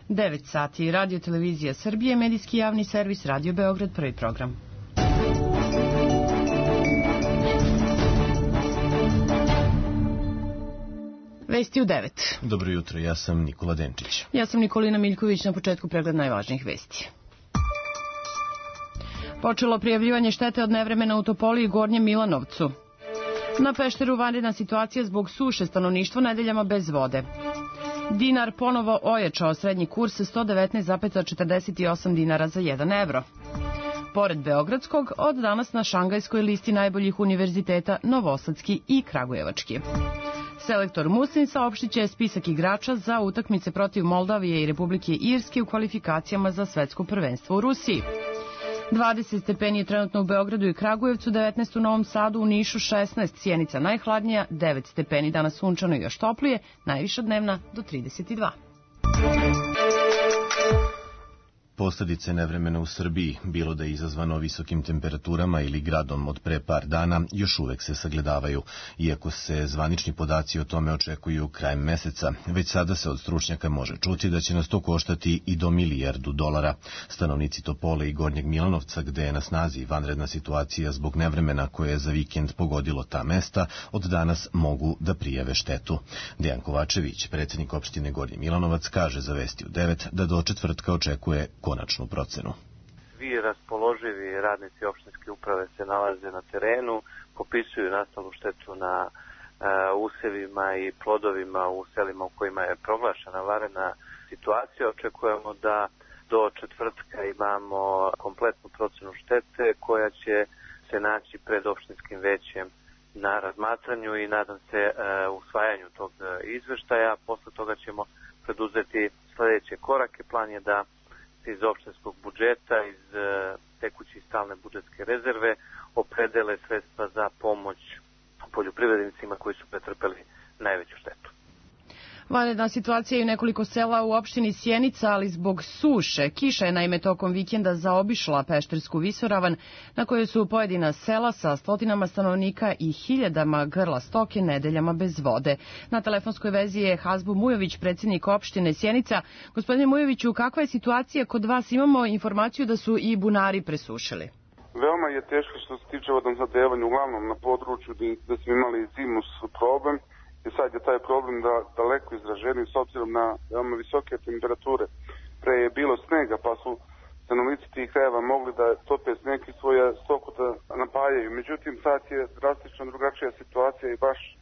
9 sati, Radio Televizija Srbije, medijski javni servis, Radio Beograd, prvi program. Vesti u 9. Dobro jutro, ja sam Nikola Denčić. Ja sam Nikolina Miljković, na početku pregled najvažnijih vesti. Počelo prijavljivanje štete od nevremena u Topoli i Gornjem Milanovcu. Na Pešteru vanredna situacija zbog suše, stanovništvo nedeljama bez vode. Dinar ponovo ojačao, srednji kurs 119,48 dinara za 1 evro. Pored Beogradskog, od danas na Šangajskoj listi najboljih univerziteta Novosadski i Kragujevački. Selektor Muslin saopštiće spisak igrača za utakmice protiv Moldavije i Republike Irske u kvalifikacijama za svetsko prvenstvo u Rusiji. 20 stepeni je trenutno u Beogradu i Kragujevcu, 19 u Novom Sadu, u Nišu 16, Sjenica najhladnija, 9 stepeni, danas sunčano i još toplije, najviša dnevna do 32. Posljedice nevremena u Srbiji, bilo da je izazvano visokim temperaturama ili gradom od pre par dana, još uvek se sagledavaju. Iako se zvanični podaci o tome očekuju krajem meseca, već sada se od stručnjaka može čuti da će nas to koštati i do $1 milijardu. Stanovnici Topole i Gornjeg Milanovca, gde je na snazi vanredna situacija zbog nevremena koje je za vikend pogodilo ta mesta, od danas mogu da prijave štetu. Dejan Kovačević, predsjednik opštine Gornji Milanovac, kaže za Vesti u 9 da do četvrtka očekuje konačnu procenu. Svi raspoloživi radnici opštinske uprave se nalaze na terenu, popisuju nastalu štetu na usevima i plodovima u selima u kojima je proglašena vanredna situacija. Očekujemo da do četvrtka imamo kompletnu procenu štete koja će se naći pred opštinskim većem na razmatranju i nadam se usvajanju tog izveštaja. Posle toga ćemo preduzeti sledeće korake. Plan je da iz opštinskog budžeta, iz tekuće i stalne budžetske rezerve opredele sredstva za pomoć poljoprivrednicima koji su pretrpeli najveću štetu. Vanredna situacija je u nekoliko sela u opštini Sjenica, ali zbog suše. Kiša je naime tokom vikenda zaobišla Peštersku visoravan, na kojoj su pojedina sela sa stotinama stanovnika i hiljadama grla stoke nedeljama bez vode. Na telefonskoj vezi je Hazbu Mujović, predsjednik opštine Sjenica. Gospodine Mujoviću, kakva je situacija kod vas? Imamo informaciju da su i bunari presušili. Veoma je teško što se tiče vodosnabdevanja, uglavnom na području gde smo imali zimus problem. I sad je taj problem daleko izraženiji s obzirom na veoma visoke temperature. Pre je bilo snega, pa su stanovnici tih krajeva mogli da tope sneg i svoje stoku da napajaju. Međutim, sad je drastično drugačija situacija i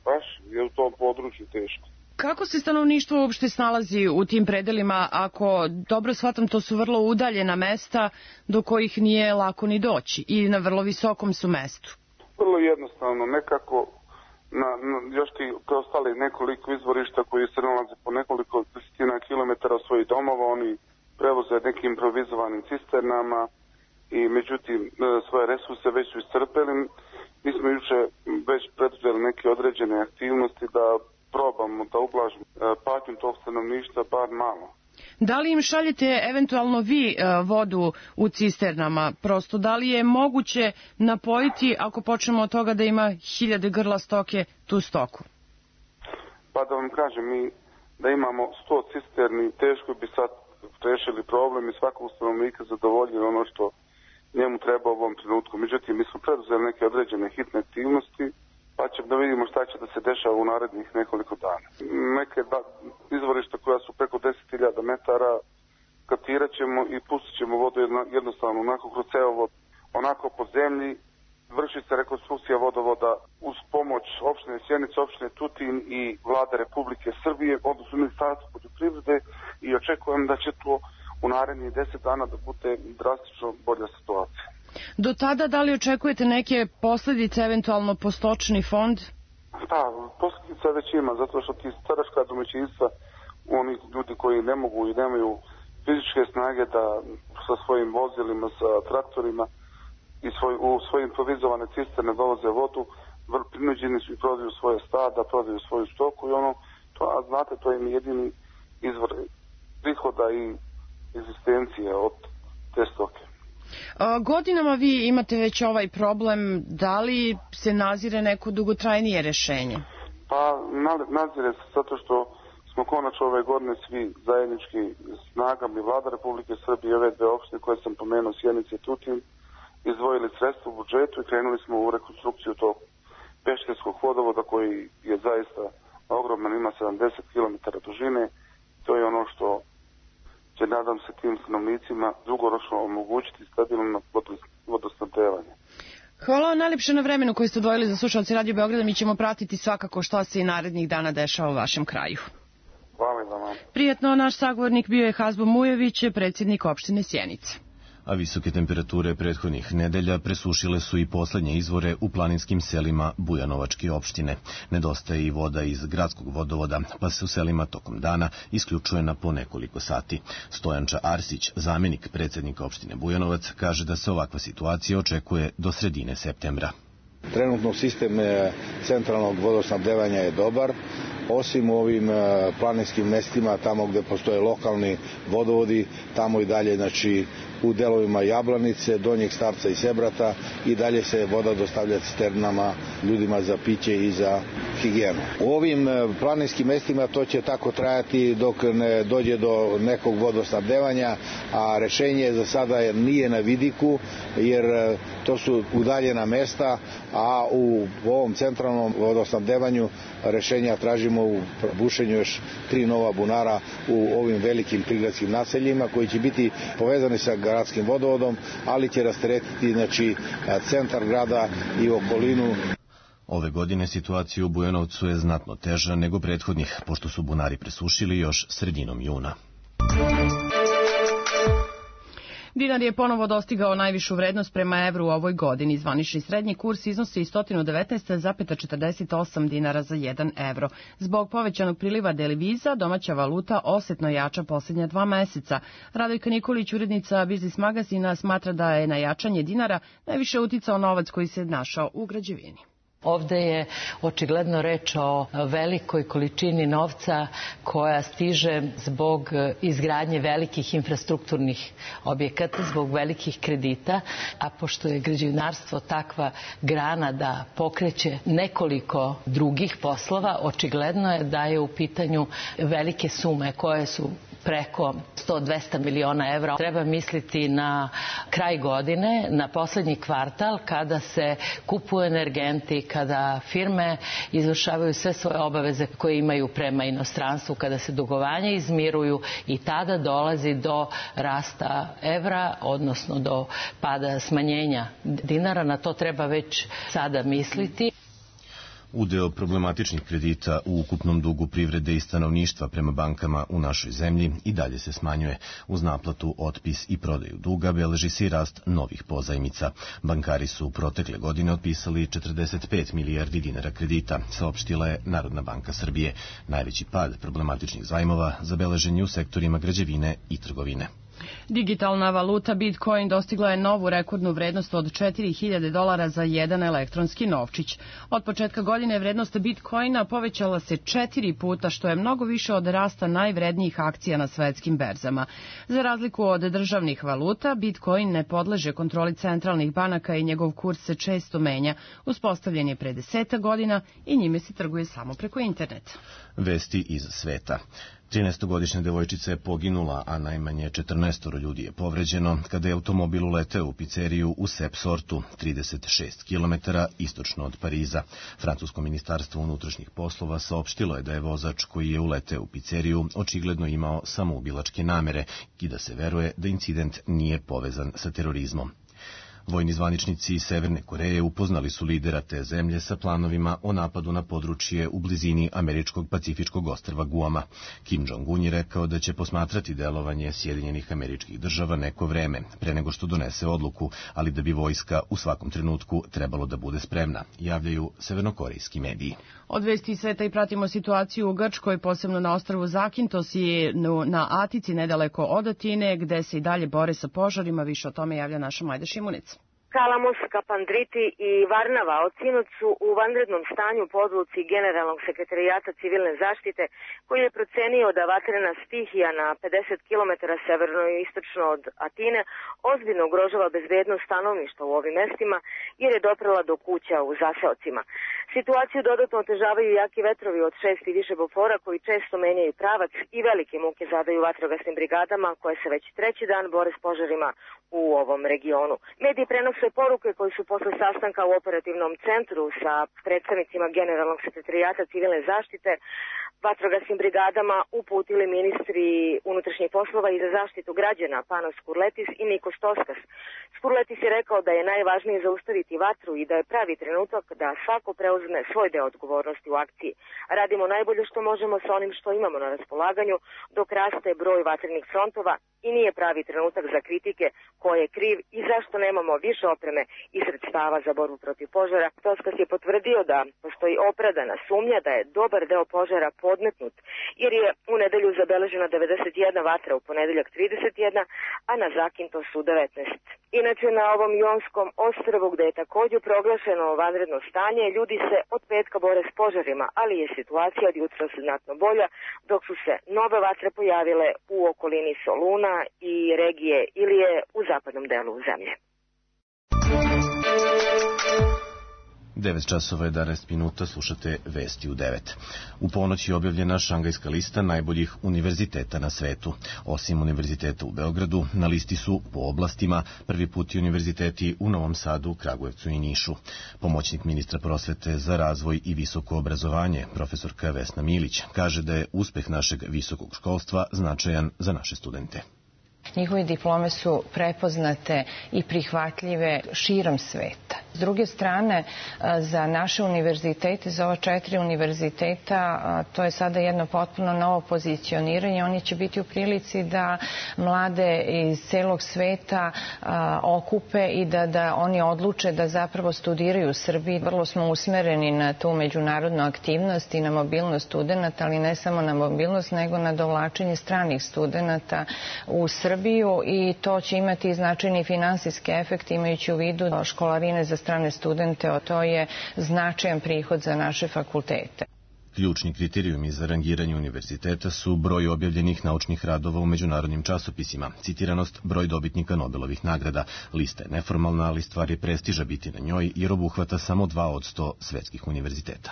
baš je u tom području teško. Kako se stanovništvo uopšte snalazi u tim predelima? Ako dobro shvatam, to su vrlo udaljena mesta do kojih nije lako ni doći i na vrlo visokom su mestu. Vrlo jednostavno, nekako još ti preostali nekoliko izvorišta koji se nalaze po nekoliko desetina kilometara od svojih domova, oni prevoze nekim improvizovanim cisternama i međutim svoje resurse već su iscrpeli. Mi smo juče već preduzeli neke određene aktivnosti da probamo da ublažimo patnju tog stanovništva bar malo. Da li im šaljete eventualno vi vodu u cisternama? Prosto, da li je moguće napojiti, ako počnemo od toga da ima hiljade grla stoke, tu stoku? Pa da vam kažem, mi da imamo 100 cisterni, teško bi sad rešili problem i svakog stanovnika zadovoljili ono što njemu treba u ovom trenutku. Međutim, mi smo preduzeli neke određene hitne aktivnosti, pa ćemo da vidimo šta će da se dešava u narednih nekoliko dana. Neke izvorišta koja su preko 10.000 metara katirat ćemo i pustit ćemo vodu jednostavno onako kroz cevovod, onako po zemlji. Vrši se rekonstrukcija vodovoda uz pomoć opštine Sjenica, opštine Tutin i vlade Republike Srbije, odnosno Ministarstva poljoprivrede, i očekujem da će to u narednih 10 dana da bude drastično bolja situacija. Do tada, da li očekujete neke posljedice eventualno po stočni fond? Da, posljedica već ima, zato što ti staračka domaćinstva, oni ljudi koji ne mogu i nemaju fizičke snage da sa svojim vozilima, sa traktorima i u svojim improvizovane cisterne dovoze vodu, prinuđeni su i prodaju svoje stada, prodaju svoju stoku i a znate, to je jedini izvor prihoda i egzistencije od te stoke. Godinama vi imate već ovaj problem, da li se nazire neko dugotrajnije rešenje? Pa nazire se zato što smo konačno ove godine svi zajednički snagama i Vlada Republike Srbije i ove dve opštine koje sam pomenuo, Sjenica i Tutin, izdvojili sredstva u budžetu i krenuli smo u rekonstrukciju tog pešterskog vodovoda koji je zaista ogroman, ima 70 km dužine. To je ono što će, nadam se, tim stanovnicima dugoročno omogućiti stabilno vodosnabdevanje. Hvala vam najljepše na vremenu koji ste odvojili za slušalci Radio Beograda. Mi ćemo pratiti svakako šta se i narednih dana dešava u vašem kraju. Hvala i vama. Prijetno, naš sagovornik bio je Hazbo Mujević, predsjednik opštine Sjenica. A visoke temperature prethodnih nedelja presušile su i poslednje izvore u planinskim selima Bujanovačke opštine. Nedostaje i voda iz gradskog vodovoda, pa se u selima tokom dana isključuje na po nekoliko sati. Stojanča Arsić, zamenik predsjednika opštine Bujanovac, kaže da se ovakva situacija očekuje do sredine septembra. Trenutno sistem centralnog vodosnabdevanja je dobar, osim u ovim planinskim mestima, tamo gde postoje lokalni vodovodi, tamo i dalje, znači u delovima Jablanice, Donjeg Starca i Sebrata i dalje se voda dostavlja cisternama ljudima za piće i za higijenu. U ovim planinskim mestima to će tako trajati dok ne dođe do nekog vodosnabdevanja, a rešenje za sada nije na vidiku, jer to su udaljena mesta, a u ovom centralnom vodosnabdevanju rešenja tražimo u bušenju još 3 nova bunara u ovim velikim prigradskim naseljima koji će biti povezani sa gradskim vodovodom, ali će rasteretiti, znači, centar grada i okolinu. Ove godine situacija u Bujanovcu je znatno teža nego prethodnih, pošto su bunari presušili još sredinom juna. Dinar je ponovo dostigao najvišu vrednost prema evru u ovoj godini. Zvanični srednji kurs iznosi 119,48 dinara za 1 evro. Zbog povećanog priliva deviza, domaća valuta osetno jača posljednja 2 meseca. Radojka Nikolić, urednica Biznis magazina, smatra da je na jačanje dinara najviše uticao novac koji se našao u građevini. Ovde je očigledno reč o velikoj količini novca koja stiže zbog izgradnje velikih infrastrukturnih objekata, zbog velikih kredita, a pošto je građevinarstvo takva grana da pokreće nekoliko drugih poslova, očigledno je da je u pitanju velike sume koje su preko 100-200 miliona evra. Treba misliti na kraj godine, na poslednji kvartal, kada se kupuju energenti, kada firme izvršavaju sve svoje obaveze koje imaju prema inostranstvu, kada se dugovanja izmiruju i tada dolazi do rasta evra, odnosno do pada smanjenja dinara. Na to treba već sada misliti. Udeo problematičnih kredita u ukupnom dugu privrede i stanovništva prema bankama u našoj zemlji i dalje se smanjuje. Uz naplatu, otpis i prodaju duga beleži se i rast novih pozajmica. Bankari su protekle godine otpisali 45 milijardi dinara kredita, saopštila je Narodna banka Srbije. Najveći pad problematičnih zajmova zabeležen je u sektorima građevine i trgovine. Digitalna valuta Bitcoin dostigla je novu rekordnu vrednost od $4.000 za jedan elektronski novčić. Od početka godine vrednost Bitcoina povećala se 4 puta, što je mnogo više od rasta najvrednijih akcija na svetskim berzama. Za razliku od državnih valuta, Bitcoin ne podleže kontroli centralnih banaka i njegov kurs se često menja. Uspostavljen je pre 10 godina i njime se trguje samo preko interneta. Vesti iz sveta. 13-godišnja devojčica je poginula, a najmanje 14 ljudi je povređeno kada je automobil uleteo u pizzeriju u Sepsortu, 36 km istočno od Pariza. Francusko ministarstvo unutrašnjih poslova saopštilo je da je vozač koji je uleteo u pizzeriju očigledno imao samoubilačke namere i da se veruje da incident nije povezan sa terorizmom. Vojni zvaničnici Severne Koreje upoznali su lidera te zemlje sa planovima o napadu na područje u blizini američkog pacifičkog ostrva Guama. Kim Jong-un je rekao da će posmatrati delovanje Sjedinjenih Američkih Država neko vreme, pre nego što donese odluku, ali da bi vojska u svakom trenutku trebalo da bude spremna, javljaju severnokorejski mediji. Od vesti sveta i pratimo situaciju u Grčkoj, posebno na ostrvu Zakintos i na Atici nedaleko od Atine, gde se i dalje bore sa požarima. Više o tome javlja naša Majda Šimunica. Kalamos, Kapandriti i Varnava od sinoć su u vanrednom stanju po odluci Generalnog sekretarijata civilne zaštite, koji je procenio da vatrena stihija na 50 km severno i istočno od Atine ozbiljno ugrožava bezbednost stanovništva u ovim mestima jer je doprela do kuća u zaseocima. Situaciju dodatno otežavaju jaki vetrovi od 6 i više bofora koji često menjaju pravac i velike muke zadaju vatrogasnim brigadama koje se već treći dan bore s požarima u ovom regionu. Mediji prenose poruke koji su posle sastanka u operativnom centru sa predstavnicima Generalnog sekretarijata civilne zaštite vatrogasnim brigadama uputili ministri unutrašnjih poslova i za zaštitu građana Panos Skurletis i Nikos Toskas. Skurletis je rekao da je najvažnije zaustaviti vatru i da je pravi trenutak da svako preuzme svoj deo odgovornosti u akciji. Radimo najbolje što možemo sa onim što imamo na raspolaganju dok raste broj vatrenih frontova i nije pravi trenutak za kritike ko je kriv i zašto nemamo više opreme i sredstava za borbu protiv požara. Toskas je potvrdio da postoji opravdana sumnja da je dobar deo požara podmetnut, jer je u nedelju zabeležena 91 vatra, u ponedeljak 31, a na Zakintosu 19. Inače, na ovom Jonskom ostrvu, gde je također proglašeno vanredno stanje, ljudi se od petka bore s požarima, ali je situacija od jutra znatno bolja, dok su se nove vatre pojavile u okolini Soluna i regije Ilije u zapadnom delu zemlje. 9 časova 11 minuta, slušate Vesti u 9. U ponoć je objavljena Šangajska lista najboljih univerziteta na svetu. Osim univerziteta u Beogradu, na listi su po oblastima prvi put i univerziteti u Novom Sadu, Kragujevcu i Nišu. Pomoćnik ministra prosvete za razvoj i visoko obrazovanje, profesorka Vesna Milić, kaže da je uspeh našeg visokog školstva značajan za naše studente. Njihove diplome su prepoznate i prihvatljive širom sveta. S druge strane, za naše univerzitete, za ova 4 univerziteta, to je sada jedno potpuno novo pozicioniranje. Oni će biti u prilici da mlade iz celog sveta okupe i da oni odluče da zapravo studiraju u Srbiji. Vrlo smo usmereni na tu međunarodnu aktivnost i na mobilnost studenta, ali ne samo na mobilnost, nego na dovlačenje stranih studenta u Srbiju i to će imati značajni finansijski efekt imajući u vidu školarine za strane studente, to je značajan prihod za naše fakultete. Ključni kriterijumi za rangiranje univerziteta su broj objavljenih naučnih radova u međunarodnim časopisima, citiranost, broj dobitnika Nobelovih nagrada. Lista je neformalna, ali stvar je prestiža biti na njoj jer obuhvata samo 2% svetskih univerziteta.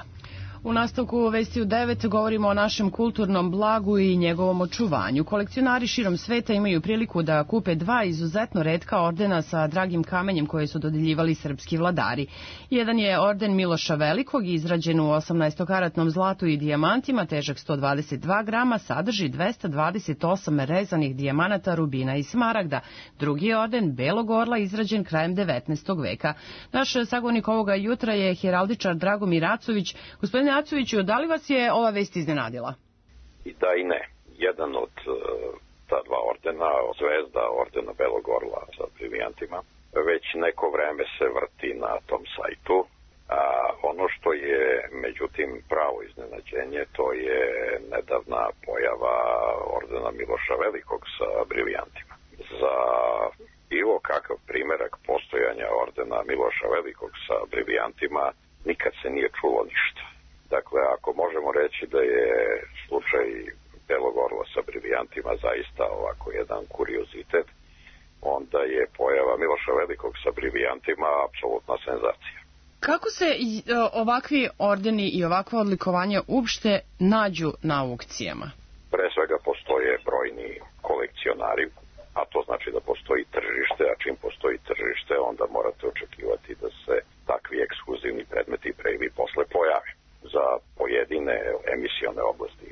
U nastavku Vesti u 9 govorimo o našem kulturnom blagu i njegovom očuvanju. Kolekcionari širom sveta imaju priliku da kupe 2 izuzetno retka ordena sa dragim kamenjem koje su dodeljivali srpski vladari. Jedan je orden Miloša Velikog, izrađen u 18-karatnom zlatu i dijamantima, težak 122 grama, sadrži 228 rezanih dijamanata, rubina i smaragda. Drugi je orden Belog orla, izrađen krajem 19. veka. Naš sagovornik ovoga jutra je heraldičar Dragomir Acović. Gospodine Acoviću, da li vas je ova vest iznenadila? I da i ne. Jedan od ta 2 ordena, zvezda ordena Belog orla sa brilijantima, već neko vreme se vrti na tom sajtu. A ono što je, međutim, pravo iznenađenje, to je nedavna pojava ordena Miloša Velikog sa brilijantima. Za bilo kakav primerak postojanja ordena Miloša Velikog sa brilijantima nikad se nije čulo ništa. Dakle, ako možemo reći da je slučaj Belog orla sa brilijantima zaista ovako jedan kuriozitet, onda je pojava Miloša Velikog sa brilijantima apsolutna senzacija. Kako se ovakvi ordeni i ovakva odlikovanja uopšte nađu na aukcijama? Pre svega postoje brojni kolekcionari, a to znači da postoji tržište, a čim postoji tržište, onda morate očekivati da se takvi ekskluzivni predmeti pre ili posle pojave. Za pojedine emisione oblasti,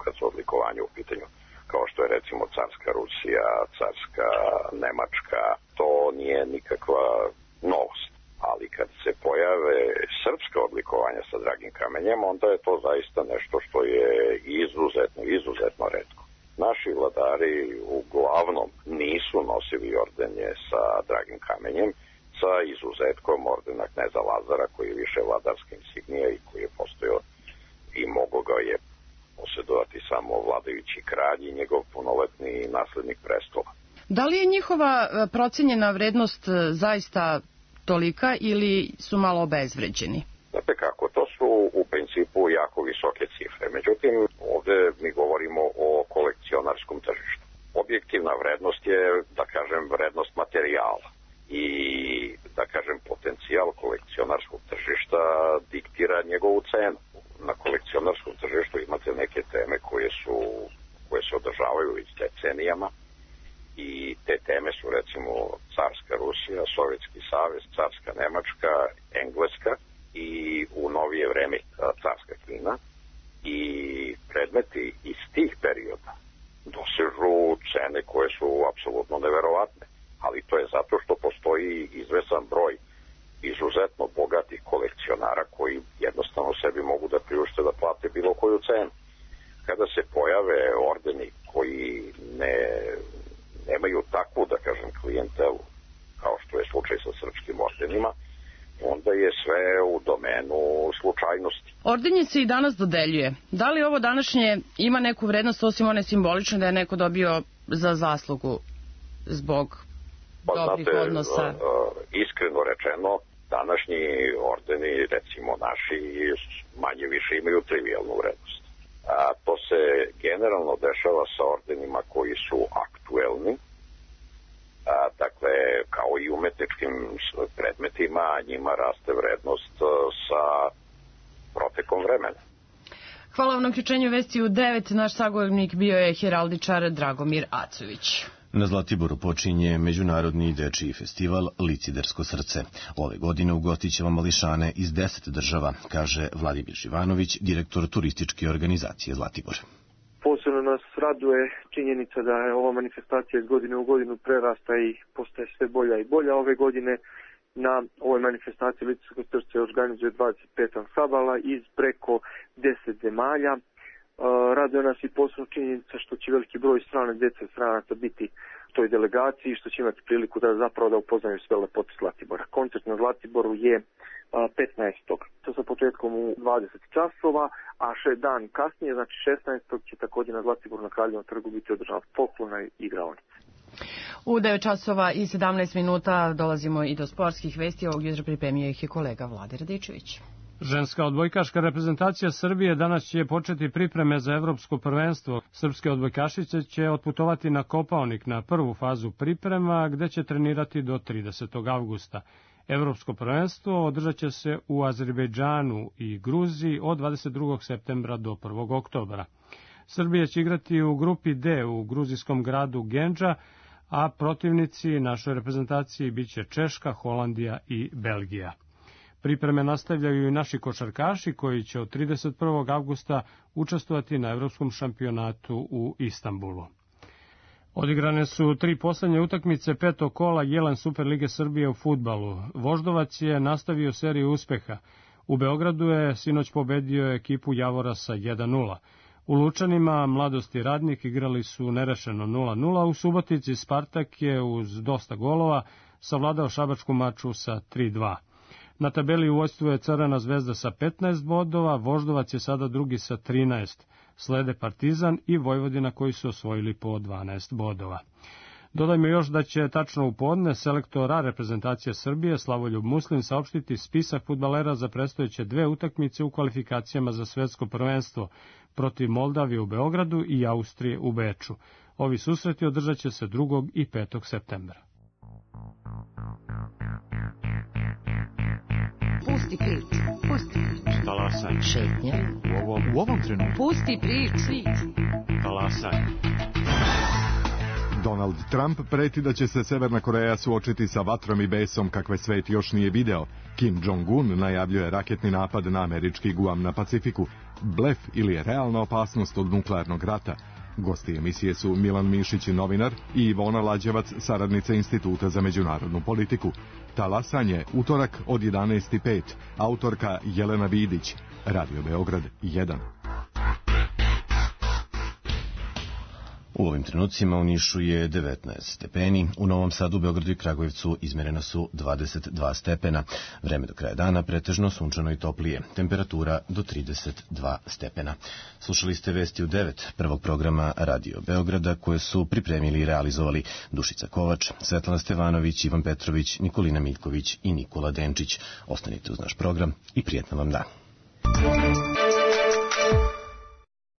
kad su odlikovanje u pitanju, kao što je recimo carska Rusija, carska Nemačka, to nije nikakva novost. Ali kad se pojave srpska odlikovanja sa dragim kamenjem, onda je to zaista nešto što je izuzetno retko. Naši vladari uglavnom nisu nosili ordenje sa dragim kamenjem, sa izuzetkom ordena kneza Lazara, koji je više vladarska insignija i koji je postojao i mogo ga je posjedovati samo vladajući kralj i njegov punoletni naslednik prestola. Da li je njihova procenjena vrednost zaista tolika ili su malo obezvređeni? Znate kako, to su u principu jako visoke cifre. Međutim, ovde mi govorimo o kolekcionarskom tržištu. Objektivna vrednost je, da kažem, vrednost materijala. I, da kažem, potencijal kolekcionarskog tržišta diktira njegovu cenu. Na kolekcionarskom tržištu imate neke teme koje se održavaju već decenijama i te teme su recimo carska Rusija, Sovjetski savez, carska Nemačka, Engleska i u novije vreme carska Kina i predmeti iz tih perioda dosežu cene koje su apsolutno neverovatne, ali to je zato što postoji izvesan broj izuzetno bogatih kolekcionara koji jednostavno sebi mogu da priušte da plate bilo koju cenu. Kada se pojave ordeni koji nemaju takvu, da kažem, klijentelu, kao što je slučaj sa srpskim ordenima, onda je sve u domenu slučajnosti. Ordenje se i danas dodeljuje. Da li ovo današnje ima neku vrednost, osim one simbolične, da je neko dobio za zaslugu zbog dobrih odnosa? Iskreno rečeno, današnji ordeni, recimo naši, manje više imaju trivijalnu vrednost. To se generalno dešava sa ordenima koji su aktuelni, dakle, kao i umetničkim predmetima, njima raste vrednost sa protekom vremena. Hvala vam na uključenju Vesti u 9. Naš sagovornik bio je heraldičar Dragomir Acović. Na Zlatiboru počinje Međunarodni dečiji festival Licidersko srce. Ove godine ugostit će mališane iz 10 država, kaže Vladimir Živanović, direktor turističke organizacije Zlatibor. Posebno nas raduje činjenica da je ova manifestacija iz godine u godinu prerasta i postaje sve bolja i bolja. Ove godine na ovoj manifestaciji Licidersko srce organizuje 25 ansambala iz preko 10 zemalja. Raduje nas i posebno činjenica što će veliki broj strane djece i stranaca biti u toj delegaciji, što će imati priliku da upoznaju sve lepote Zlatibora. Koncert na Zlatiboru je 15. To sa početkom u 20 časova, a dan kasnije, znači 16. će također na Zlatiboru na Kraljevom trgu biti održana folklorna igraonica. U 9 časova i 17 minuta dolazimo i do sportskih vesti. Ovog jutra pripremio ih je kolega Vlade Radičević. Ženska odbojkaška reprezentacija Srbije danas će početi pripreme za evropsko prvenstvo. Srpske odbojkašice će otputovati na Kopaonik na prvu fazu priprema, gde će trenirati do 30. avgusta. Evropsko prvenstvo održat će se u Azerbejdžanu i Gruziji od 22. septembra do 1. oktobra. Srbija će igrati u grupi D u gruzijskom gradu Gendža, a protivnici našoj reprezentaciji biće Češka, Holandija i Belgija. Pripreme nastavljaju i naši košarkaši koji će od 31. avgusta učestvovati na evropskom šampionatu u Istanbulu. Odigrane su 3 poslednje utakmice 5. kola Jelen Superlige Srbije u fudbalu. Voždovac je nastavio seriju uspeha. U Beogradu je sinoć pobedio ekipu Javora sa 1:0. U Lučanima Mladost i Radnik igrali su nerešeno 0:0. U Subotici Spartak je uz dosta golova savladao šabačku maču sa 3:2. Na tabeli u vođstvu je Crvena zvezda sa 15 bodova, Voždovac je sada drugi sa 13. Slede Partizan i Vojvodina koji su osvojili po 12 bodova. Dodajmo još da će tačno u podne selektor A reprezentacije Srbije Slavoljub Muslin saopštiti spisak fudbalera za predstojeće 2 utakmice u kvalifikacijama za svetsko prvenstvo protiv Moldavije u Beogradu i Austrije u Beču. Ovi susreti održat će se 2. i 5. septembra. Pusti priču. Talasaj. Šetnja. U ovom trenutku. Pusti priču. Talasaj. Donald Trump preti da će se Severna Koreja suočiti sa vatrom i besom kakve svet još nije video. Kim Jong-un najavljuje raketni napad na američki Guam na Pacifiku. Blef ili je realna opasnost od nuklearnog rata? Gosti emisije su Milan Mišić, novinar, i Ivona Lađevac, saradnica Instituta za međunarodnu politiku. Talasanje, utorak od 11:05. Autorka Jelena Vidić. Radio Beograd 1. U ovim trenucima u Nišu je 19 stepeni, u Novom Sadu, Beogradu i Kragujevcu izmerena su 22 stepena. Vreme do kraja dana pretežno sunčano i toplije, temperatura do 32 stepena. Slušali ste vesti u 9 prvog programa Radio Beograda koje su pripremili i realizovali Dušica Kovač, Svetlana Stevanović, Ivan Petrović, Nikolina Miljković i Nikola Denčić. Ostanite uz naš program i prijetno vam dan.